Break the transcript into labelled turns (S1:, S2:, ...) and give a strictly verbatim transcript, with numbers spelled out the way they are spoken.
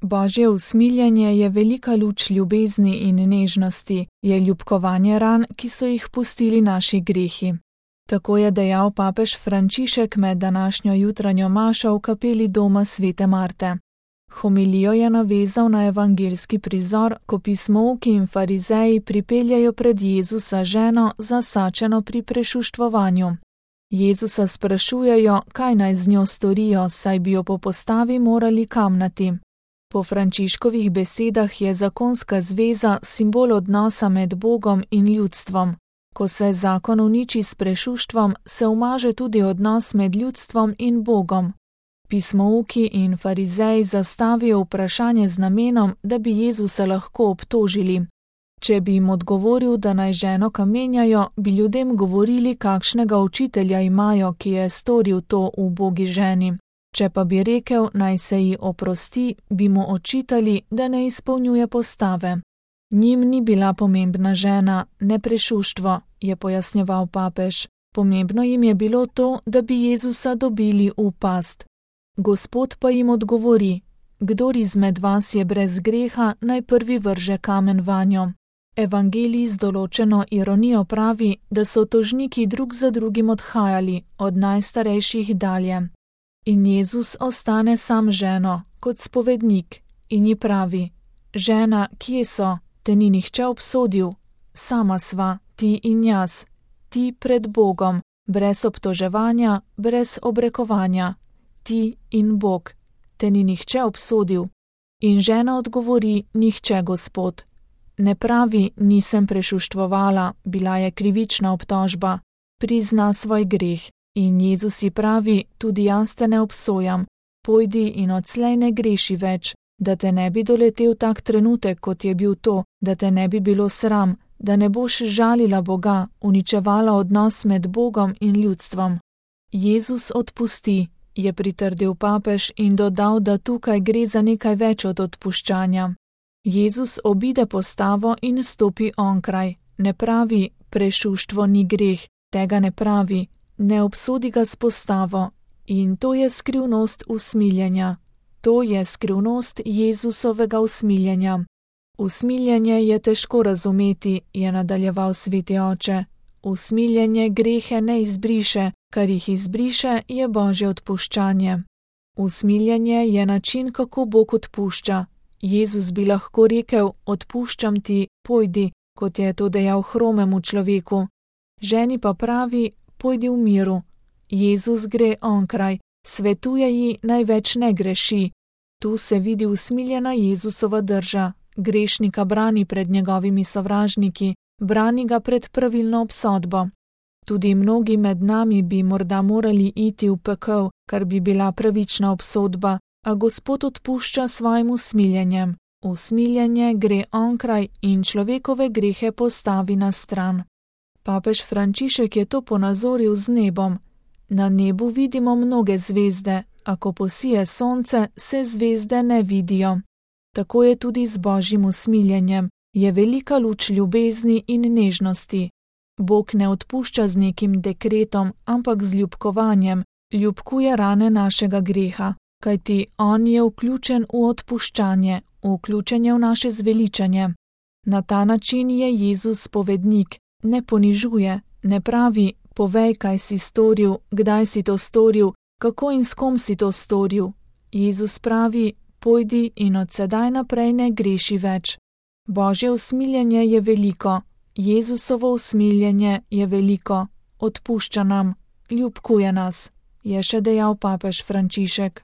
S1: Božje usmiljenje je velika luč ljubezni in nežnosti, je ljubkovanje ran, ki so jih pustili naši grehi. Tako je dejal papež Frančišek med današnjo jutranjo mašo v kapeli doma svete Marte. Homilijo je navezal na evangeljski prizor, ko pismouki in farizeji pripeljajo pred Jezusa ženo zasačeno pri prešuštvovanju. Jezusa sprašujejo, kaj naj z njo storijo, saj bi jo po postavi morali kamnati. Po Frančiškovih besedah je zakonska zveza simbol odnosa med Bogom in ljudstvom. Ko se zakon uniči s prešuštvom, se umaže tudi odnos med ljudstvom in Bogom. Pismouki in farizeji zastavijo vprašanje z namenom, da bi Jezusa lahko obtožili. Če bi jim odgovoril, da naj ženo kamenjajo, bi ljudem govorili, kakšnega učitelja imajo, ki je storil to ubogi ženi. Če pa bi rekel, naj se ji oprosti, bi mu očitali, da ne izpolnjuje postave. Njim ni bila pomembna žena, ne prešuštvo, je pojasnjeval papež. Pomembno jim je bilo to, da bi Jezusa dobili v past. Gospod pa jim odgovori: kdor izmed vas je brez greha, naj prvi vrže kamen vanjo. Evangelij z določeno ironijo pravi, da so tožniki drug za drugim odhajali, od najstarejših dalje. In Jezus ostane sam ženo, kot spovednik, in ji pravi: žena, kje so, te ni nihče obsodil? Sama sva, ti in jaz, ti pred Bogom, brez obtoževanja, brez obrekovanja. Ti in Bog, te ni nihče obsodil. In žena odgovori: nihče, Gospod. Ne pravi: nisem prešuštvovala, bila je krivična obtožba. Prizna svoj greh. In Jezus ji pravi: tudi jaz te ne obsojam, pojdi in odslej ne greši več, da te ne bi doletel tak trenutek, kot je bil to, da te ne bi bilo sram, da ne boš žalila Boga, uničevala odnos med Bogom in ljudstvom. Jezus odpusti, je pritrdil papež in dodal, da tukaj gre za nekaj več od odpuščanja. Jezus obide postavo in stopi onkraj. Ne pravi: prešuštvo ni greh, tega ne pravi, ne obsodi ga s postavo. In to je skrivnost usmiljenja. To je skrivnost Jezusovega usmiljenja. Usmiljenje je težko razumeti, je nadaljeval sveti oče. Usmiljenje grehe ne izbriše, kar jih izbriše, je Božje odpuščanje. Usmiljenje je način, kako Bog odpušča. Jezus bi lahko rekel: odpuščam ti, pojdi, kot je to dejal hromemu človeku. Ženi pa pravi: pojdi v miru. Jezus gre onkraj, svetuje ji, naj več ne greši. Tu se vidi usmiljena Jezusova drža. Grešnika brani pred njegovimi sovražniki, brani ga pred pravilno obsodbo. Tudi mnogi med nami bi morda morali iti v pekel, kar bi bila pravična obsodba, a Gospod odpušča svojim usmiljenjem. Usmiljenje gre onkraj in človekove grehe postavi na stran. Papež Frančišek je to ponazoril z nebom. Na nebu vidimo mnoge zvezde, a ko posije sonce, se zvezde ne vidijo. Tako je tudi z Božjim usmiljenjem, je velika luč ljubezni in nežnosti. Bog ne odpušča z nekim dekretom, ampak z ljubkovanjem, ljubkuje rane našega greha, kajti on je vključen v odpuščanje, vključen je v naše zveličanje. Na ta način je Jezus spovednik, ne ponižuje, ne pravi: povej, kaj si storil, kdaj si to storil, kako in s kom si to storil. Jezus pravi: pojdi in od sedaj naprej ne greši več. Božje usmiljenje je veliko, Jezusovo usmiljenje je veliko, odpušča nam, ljubkuje nas, je še dejal papež Frančišek.